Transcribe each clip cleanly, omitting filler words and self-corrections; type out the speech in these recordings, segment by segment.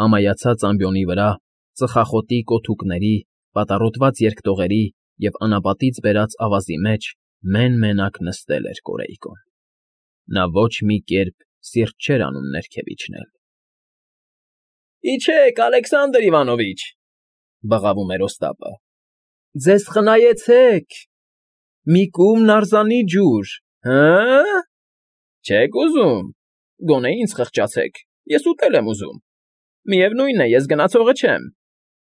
Ամայացած ամբիոնի վրա, ծխախոտի կոթուկների, պատառոտված երկտողերի և անապատից բերած ավազի մեջ մեն֊մենակ նստել էր Կորեյկոն. նա ոչ մի կերպ սիրտ չէր անում ներքև իջնել։ ֊ Իջեք, Ալեքսանդր Իվանովիչ,֊ բղավում էր Օստապը,֊ ձեզ խնայեցեք… Մի կում նարզանի ջուր, հը՞… Չեք ուզում… Գոնե ինձ խղճացեք, ես ուտել եմ ուզում… Միևնույն է, ես գնացողը չեմ…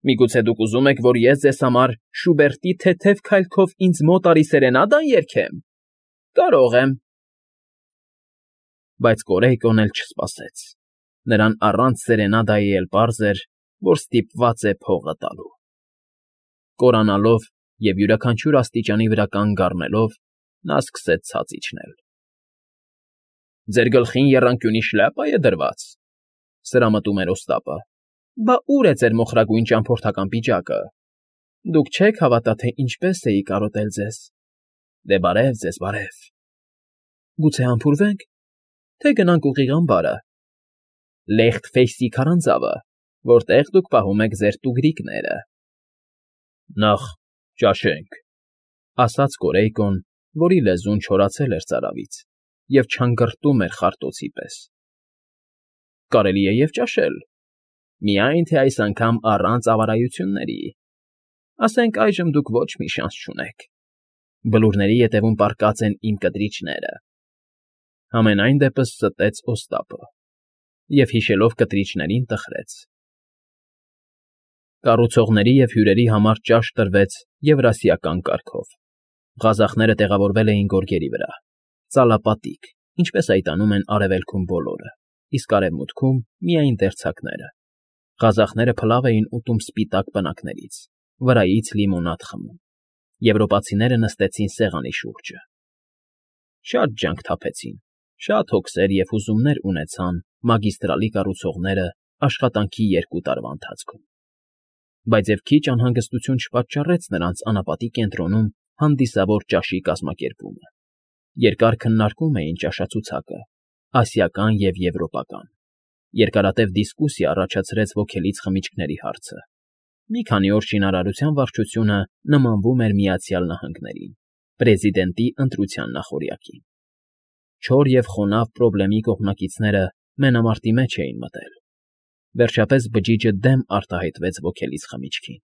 Միգուցե դուք ուզում եք, որ ես ձեզ համար Շուբերտի թեթև քայլքով ինձ մոտ արի սերենադա երգեմ… Կարող եմ… Բայց Կորեյկոն էլ չսպասեց. նրան առանց սերենադայի էլ պարզ էր, որ ստիպված է փողը տալու։ Կորանալով և յուրաքանչյուր աստիճանի վրա կանգ առնելով՝ նա սկսեց ցած իջնել։ ֊ Ձեր գլխին եռանկյունի շլյապա՞ է դրված,֊ սրամտում էր Օստապը։֊ Բա ուր է ձեր մոխրագույն ճամփորդական պիջակը… Դուք չեք հավատա, թե ինչպես էի կարոտել ձեզ… Դե բարև ձեզ, բարև… Գուցե համբուրվե՞նք, թե գնանք ուղիղ ամբարը… Լեխտ֊Ֆեյսի քարանձավը, որտեղ դուք պահում եք ձեր տուգրիկները… Նախ ճաշենք,֊ ասաց Կորեյկոն, որի լեզուն չորացել էր ծարավից և չանգրտում էր խարտոցի պես։ ֊ Կարելի է և ճաշել, միայն թե այս անգամ առանց ավարայությունների… Ասենք այժմ դուք ոչ մի շանս չունեք… Բլուրների ետևում պառկած են իմ կտրիչները… Համենայն դեպս ստեց Օստապը և, հիշելով կտրիչներին, տխրեց։ Կառուցողների և հյուրերի համար ճաշ տրվեց Եվրասիական կարգով. Ղազախները տեղավորվել էին գորգերի վրա, ծալապատիկ, ինչպես այդ անում են Արևելքում բոլորը, իսկ Արևմուտքում միայն դերձակները. ղազախները փլավ էին ուտում սպիտակ պնակներից, վրայից լիմոնադ խմում, եվրոպացիները նստեցին սեղանի շուրջը։ Շատ ջանք թափեցին, շատ հոգսեր և հուզումներ ունեցան մագիստրալի կառուցողները աշխատանքի 2 տարվա ընթացքում։ Բայց և քիչ անհանգստություն չպատճառեց նրանց անապատի կենտրոնում հանդիսավոր ճաշի կազմակերպումը։ Երկար քննարկում էին ճաշացուցակը՝ ասիական և եվրոպական։ Երկարատև դիսկուսիա առաջացրեց ոգելից խմիչքների հարցը։ Մի քանի օր շինարարության վարչությունը նմանվում էր Միացյալ Նահանգներին, պրեզիդենտի ընտրության նախօրյակին։ Չոր և խոնավ պրոբլեմի կողմնակիցները մենամարտի մեջ էին մտել։ Վերջապես բջիջը դեմ արտահայտվեց ոգելից խմիչքին։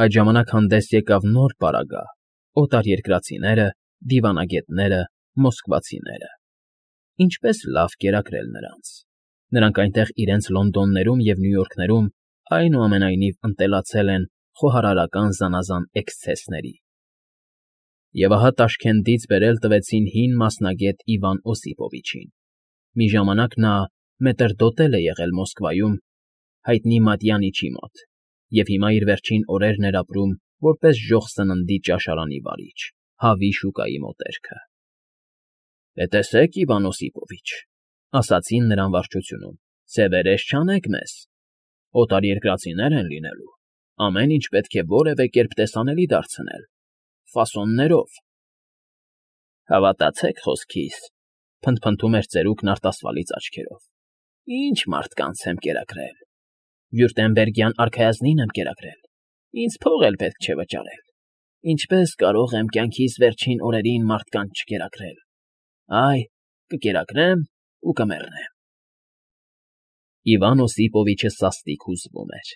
Այդ ժամանակ հանդես եկավ նոր պարագա՝ օտարերկրացիները, դիվանագետները, մոսկվացիները… Ինչպես լավ կերակրել նրանց… Նրանք այնտեղ իրենց Լոնդոններում և Նյու Յորքներում այնուամենայնիվ ընտելացել են խոհարարական զանազան էքսցեսների։ Եվ ահա Տաշքենտից բերել տվեցին հին մասնագետ Իվան Օսիպովիչին։ Մի ժամանակ նա մետրդոտել է եղել Մոսկվայում հայտնի Մատյանիչի մոտ և հիմա իր վերջին օրերն էր ապրում որպես ժոխ սննդի ճաշարանի վարիչ, հավի շուկայի մոտերքը։ ֊ Տեսեք, Իվան Օսիպովիչ,֊ ասացին նրան վարչությունում,֊ սևերես չանեք մեզ… Օտարերկրացիներ են լինելու, ամեն ինչ պետք է որևէ կերպ տեսանելի դարձնել, ֆասոններով… Հավատացեք խոսքիս,֊ փնթփնթում էր ծերուկն արտասվալից աչքերով,֊ ինչ մարդկանց եմ կերակրել… Վյուրտեմբերգյան արքայազնին եմ կերակրել, ինձ փող էլ պետք չէ վճարել… Ինչպե՞ս կարող եմ կյանքիս վերջին օրերին մարդկանց չկերակրել… Այ, կկերակրեմ ու կմեռնեմ… Իվան Օսիպովիչը սաստիկ հուզվում էր։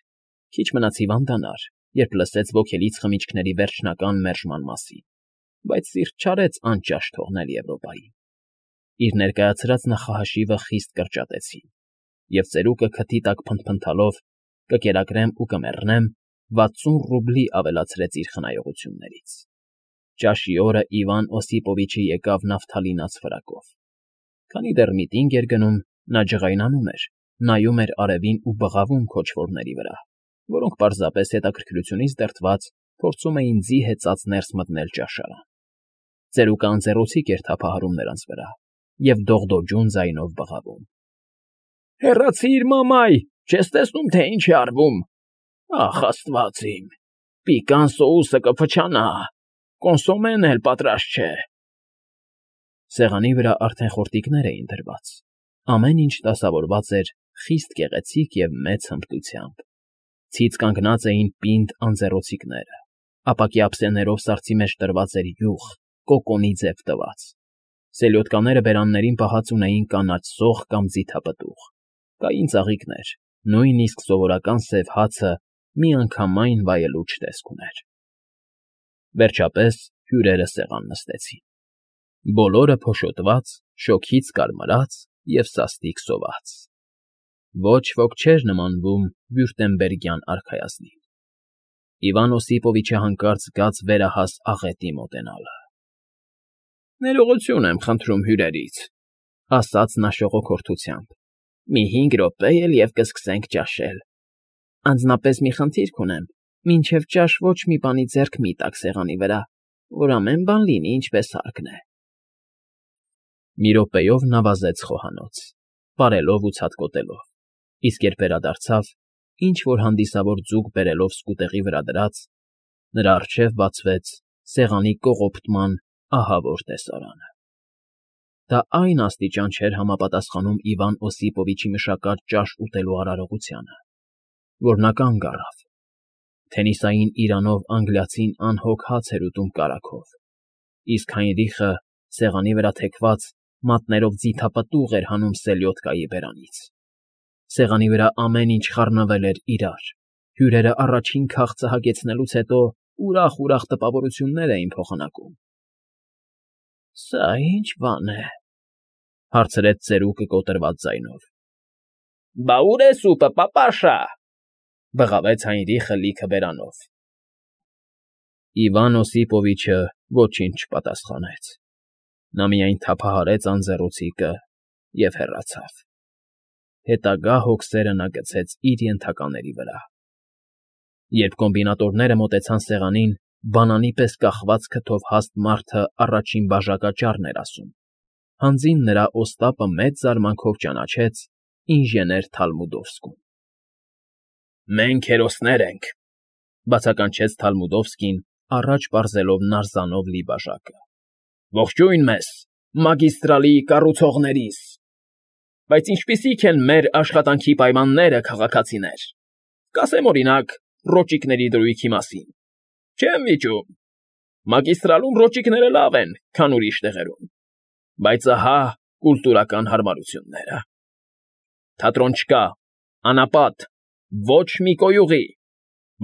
Քիչ մնաց հիվանդանար, երբ լսեց ոգելից խմիչքների վերջնական մերժման մասին, բայց սիրտ չարեց անճաշ թողնել Եվրոպային։ Իր ներկայացրած նախահաշիվը խիստ կրճատեցին, և ծերուկը քթի տակ փնթփնթալով «կկերակրեմ ու կմեռնեմ» 60 ռուբլի ավելացրեց իր խնայողություններից։ Ճաշի օրը Իվան Օսիպովիչը եկավ նավթալինած ֆրակով։ Քանի դեռ միտինգ էր գնում, նա ջղայնանում էր, նայում էր արևին ու բղավում քոչվորների վրա, որոնք պարզապես հետաքրքրությունից դրդված փորձում էին ձի հեծած ներս մտնել ճաշարան։ Ծերուկը անձեռոցիկ էր թափահարում նրանց վրա և դողդոջուն ձայնով բղավում. Հեռացի՛ր, մամայ, չես տեսնում, թե ինչ է արվում… Ախ, աստված իմ… Պիկան սոուսը կփչանա… Կոնսոմեն էլ պատրաստ չէ… Սեղանի վրա արդեն խորտիկներ էին դրված, ամեն ինչ դասավորված էր խիստ գեղեցիկ և մեծ հմտությամբ։ Ցից կանգնած էին պինդ անձեռոցիկները, ապակի ափսեներով սառցի մեջ տրված էր յուղ, կոկոնի ձև տված։ Սելյոտկաները բերաններին պահած ունեին կանաչ սող կամ ձիթապտուղ, կային ծաղիկներ, նույնիսկ սովորական սև հացը միանգամայն վայելուչ տեսք ուներ։ Վերջապես հյուրերը սեղան նստեցին։ Բոլորը փոշոտված, շոգից կարմրած և սաստիկ սոված։ Ոչ ոք չէր նմանվում վյուրտեմբերգյան արքայազնին։ Իվան Օսիպովիչը հանկարծ զգաց վերահաս աղետի մոտենալը։ «Ներողություն եմ խնդրում հյուրերից», ֊ ասաց նա շողոքորթությամբ։ «Մի 5 րոպե էլ և կսկսենք ճաշել։ Անձնապես մի խնդիր կունեմ. մինչև ճաշ ոչ մի բանի ձեռք մի տաք սեղանի վրա, որ ամեն բան լինի ինչպես հարկն է»։ Մի րոպեով նա վազեց խոհանոց, պարելով ու ցատկոտելով, իսկ երբ վերադարձավ, ինչ֊որ հանդիսավոր ձուկ բերելով սկուտեղի վրա դրած, նրա առջև բացվեց սեղանի կողոպտման ահավոր տեսարանը։ Դա այն աստիճան չէր համապատասխանում Իվան Օսիպովիչի մշակած ճաշ ուտելու արարողությանը, որ նա կանգ առավ։ Թենիսային իրանով անգլիացին անհոգ հաց էր ուտում կարագով, իսկ Հայնրիխը սեղանի վրա թեքված մատներով ձիթապտուղ էր հանում սելյոդկայի բերանից։ Սեղանի վրա ամեն ինչ խառնվել էր իրար, հյուրերը առաջին քաղցը հագեցնելուց հետո ուրախ տպավորություններ էին փոխանակում։ «Սա ի՞նչ բան է,֊ հարցրեց ծերուկը կոտրված ձայնով։ «Բա ուր է սուպը, պապաշա», ֊ բղավեց Հայնրիխը լիքը բերանով։ Իվան Օսիպովիչը ոչինչ չպատասխանեց։ Նա միայն թափահարեց անձեռոցիկը և հեռացավ։ Հետագա հոգսերը նա գցեց իր ենթակաների վրա։ Երբ կոմբինատորները մոտեցան սեղանին, բանանի պես կախված քթով հաստ մարդը առաջին բաժակաճառն էր ասում։ Հանձին նրա Օստապը մեծ զարմանքով ճանաչեց ինժեներ Թալմուդովսկուն։ «Մենք հերոսներ ենք,֊ բացականչեց Թալմուդովսկին, առաջ պարզելով նարզանով լի բաժակը։ «Ողջույն մեզ, մագիստրալի կառուցողներիս։ Բայց ինչպիսի՞ք են մեր աշխատանքի պայմանները, քաղաքացիներ։ Կասեմ, օրինակ, ռոճիկների դրույքի մասին։ Չեմ վիճում։ Մագիստրալում ռոճիկները լավ են, քան ուրիշ տեղերում, բայց ահա կուլտուրական հարմարությունները։ Թատրոն չկա, անապատ, ոչ մի կոյուղի։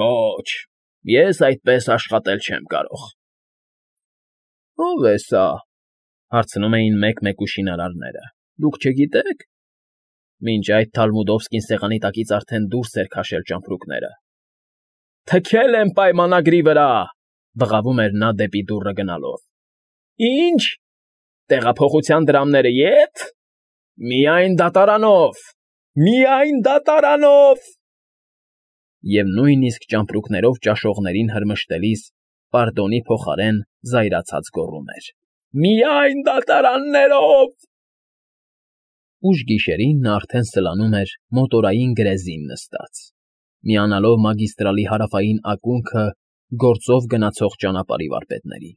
Ոչ, ես այդպես աշխատել չեմ կարող»։ «Ո՞վ է սա,֊ հարցնում էին մեկ֊մեկ շինարարները։ «Դուք չգիտե՞ք»։ Մինչ այդ Թալմուդովսկին սեղանի տակից արդեն դուրս էր քաշել ճամպրուկները։ «Թքել եմ պայմանագրի վրա,֊ բղավում էր նա դեպի դուռը գնալով։ Ի՞նչ, տեղափոխության դրամները ե՞տ։ Միայն դատարանով, միայն դատարանով»։ Եվ նույնիսկ ճամպրուկներով ճաշողներին հրմշտելիս պարդոնի փոխարեն զայրացած գոռում էր. «Միայն դատարաններով»։ Ուշ գիշերին նա արդեն սլանում էր մոտորային գրեզին նստած, միանալով մագիստրալի հարավային ակունքը գործով գնացող ճանապարհի վարպետներին։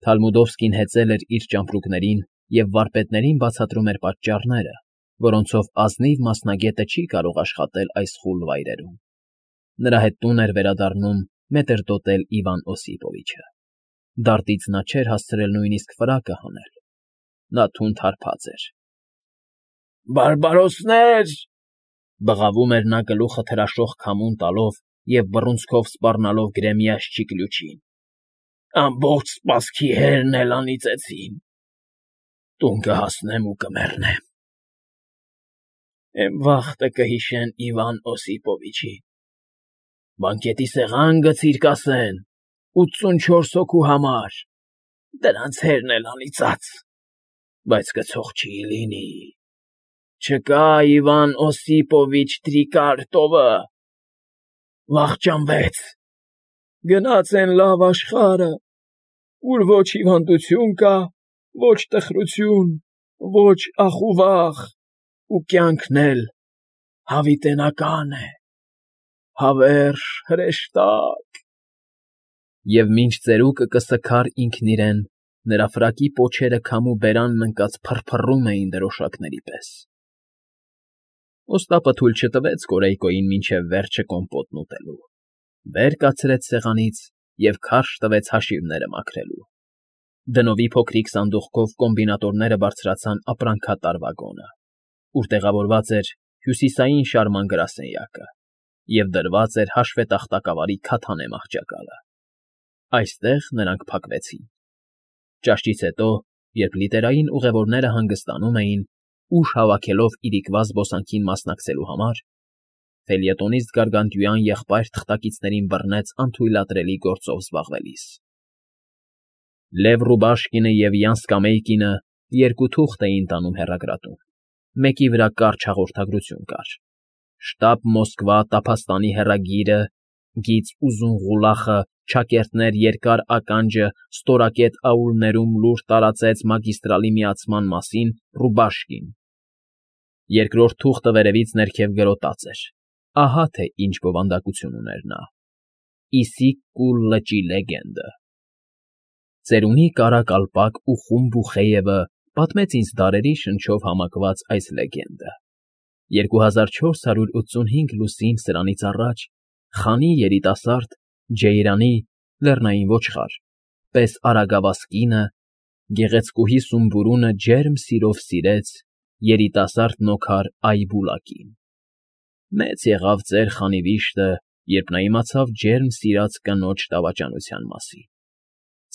Թալմուդովսկին հեծել էր իր ճամպրուկներին և վարպետներին բացատրում էր պատճառները, որոնցով ազնիվ մասնագետը չի կարող աշխատել այս խուլ վայրերում։ Նրա հետ տուն էր վերադառնում մետրդոտել Իվան Օսիպովիչը։ Դարտից նա չէր հասցրել նույնիսկ ֆրակը հանել։ Նա թունդ հարբած էր։ «Բարբարոսնե՜ր,֊ բղավում էր նա գլուխը թրաշող քամուն տալով և բռունցքով սպառնալով գրեմի աշճի կլուչին,֊ ամբողջ սպասքի հերն էլ անիծեցին։ Տուն կհասնեմ ու կմեռնեմ։ Էն վախտը կհիշեն Իվան Օսիպովիչին։ Բանկետի սեղան գցիր, կասեն, 84 հոգու համար, դրանց հերն էլ անիծած, բայց կցող չի լինի։ Չկա Իվան Օսիպովիչ Տրիկարտովը, վախճանվեց, գնաց էն լավ աշխարհը, ուր ոչ հիվանդություն կա, ոչ տխրություն, ոչ ախ ու վախ, ու կյանքն էլ հավիտենական է, հավերժ, հրեշտակ»։ Եվ մինչ ծերուկը կսքար ինքն իրեն, նրա ֆրակի պոչերը քամու բերանն ընկած փռփռում էին դրոշակների պես։ Ոստապը թույլ չտվեց Կորեյկոյին մինչև վերջը կոմպոտն ուտելու, վեր կացրեց սեղանից և քարշ տվեց հաշիվները մաքրելու։ Դնովի փոքրիկ սանդուղքով կոմբինատորները բարձրացան ապրանքատար վագոնը, ուր տեղավորված էր հյուսիսային շարման գրասենյակը և դրված էր հաշվետախտակավարի քաթանե մահճակալը։ Այստեղ նրանք փակվեցին։ Ճաշից հետո, երբ լիտերային ուղևորները հանգստանում էին, ուժ հավաքելով իրիկվա զբոսանքին մասնակցելու համար, ֆելյետոնիստ Գարգանդյուան եղբայր թղթակիցներին բռնեց անթույլատրելի գործով զբաղվելիս։ Լև Ռուբաշկինը և Յան Սկամեյկինը երկու թուղթ էին տանում հեռագրատուն, մեկի վրա կարճ հաղորդագրություն կար. «Շտաբ Մոսկվա տափաստանի հեռագիրը, գիծ Ուզունղուլախը, ճակերտներ երկար ականջը ստորակետ աուլներում լուր տարածեց մագիստրալի միացման մասին Ռուբաշկին»։ Երկրորդ թուղթը վերևից ներքև գրոտած էր. ահա թե ինչ բովանդակություն ուներ նա. «Իսիկ կուլ լճի լեգենդը»։ Ծերունի կարակալպակ ու խումբ Բուխեևը պատմեց ինձ դարերի շնչով համակված այս լեգենդը։ 2485 լուսին սրանից առաջ խանի երիտասարդ Ջեյրանի լեռնային ոչխար պես արագավազ կինը գեղեցկուհի Սումբուրունը ջերմ սիրով սիրեց երիտասարդ նոքար Այբուլակին։ Մեծ եղավ ծեր խանի վիշտը, երբ նա իմացավ ջերմ սիրած կնոջ դավաճանության մասին։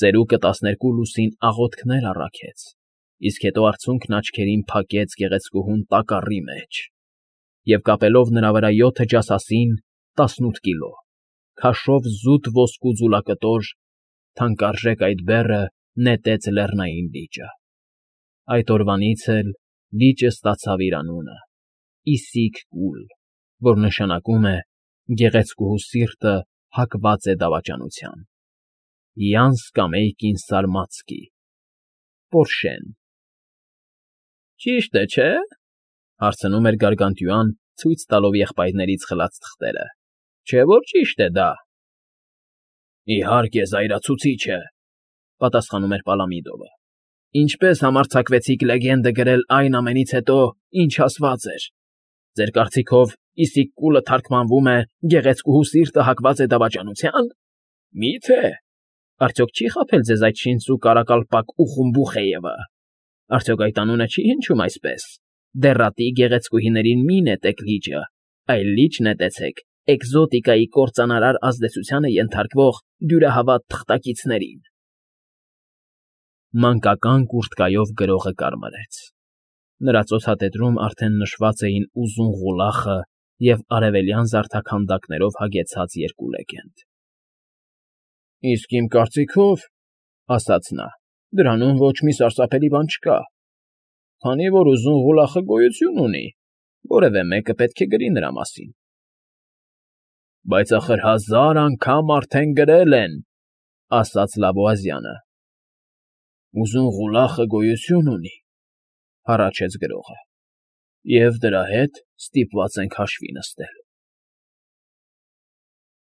Ծերուկը 12 լուսին աղոթքներ առաքեց, իսկ հետո արցունքն աչքերին փակեց գեղեցկուհուն տակառի մեջ և կապելով նրա վրա 7 ջասասին, 18 կիլո, քաշով զուտ ոսկու ձուլակտոր, թանկարժեք այդ բեռը նետեց լեռնային լիճը։ Այդ օրվանից էլ լիճը ստացավ իր անունը՝ Իսիկ կուլ, որ նշանակում է «Գեղեցկուհու սիրտը հակված է դավաճանության»։ Յան Սկամեյկին Սալմացկի, Պորշեն։ Ճիշտ է, չէ՞, հարցնում էր Գարգանդյուան, ցույց տալով եղբայրներից խլած թղթերը։ Չէ՞ որ ճիշտ է դա։ Իհարկե, զայրացուցիչ է, պատասխանում էր Պալամիդովը։ Ինչպես համարձակվեցիք լեգենդը գրել այն ամենից հետո, ինչ ասված էր։ Ձեր կարծիքով Իսիկ կուլը թարգմանվում է «Գեղեցկուհու սիրտը հակված է դավաճանության»։ Մի՞թե։ Արդյոք չի խաբել ձեզ այդ շինծու կարակալպակ ու Խումբուխեևը։ Արդյոք այդ անունը չի հնչում այսպես. «Դեռատի գեղեցկուհիներին մի նետեք լիճը, այլ լիճ նետեցեք էկզոտիկայի կործանարար ազդեցությանը ենթարկվող դյուրահավատ թղթակիցներին»։ Մանկական կուրտկայով գրողը կարմրեց։ Նրա ծոցատետրում արդեն նշված էին Ուզունղուլախը և արևելյան զարդաքանդակներով հագեցած երկու լեգենդ։ Իսկ իմ կարծիքով, ասաց նա, դրանում ոչ մի սարսափելի բան չկա, քանի որ Ուզունղուլախը գոյություն ունի, որևէ մեկը պետք է գրի նրա մասին։ Բայց ախր 1000 անգամ արդեն գրել են, ասաց Լավոազյանը։ Ուզունղուլախը գոյություն ունի, հառաչեց գրողը, և դրա հետ ստիպված ենք հաշվի նստել։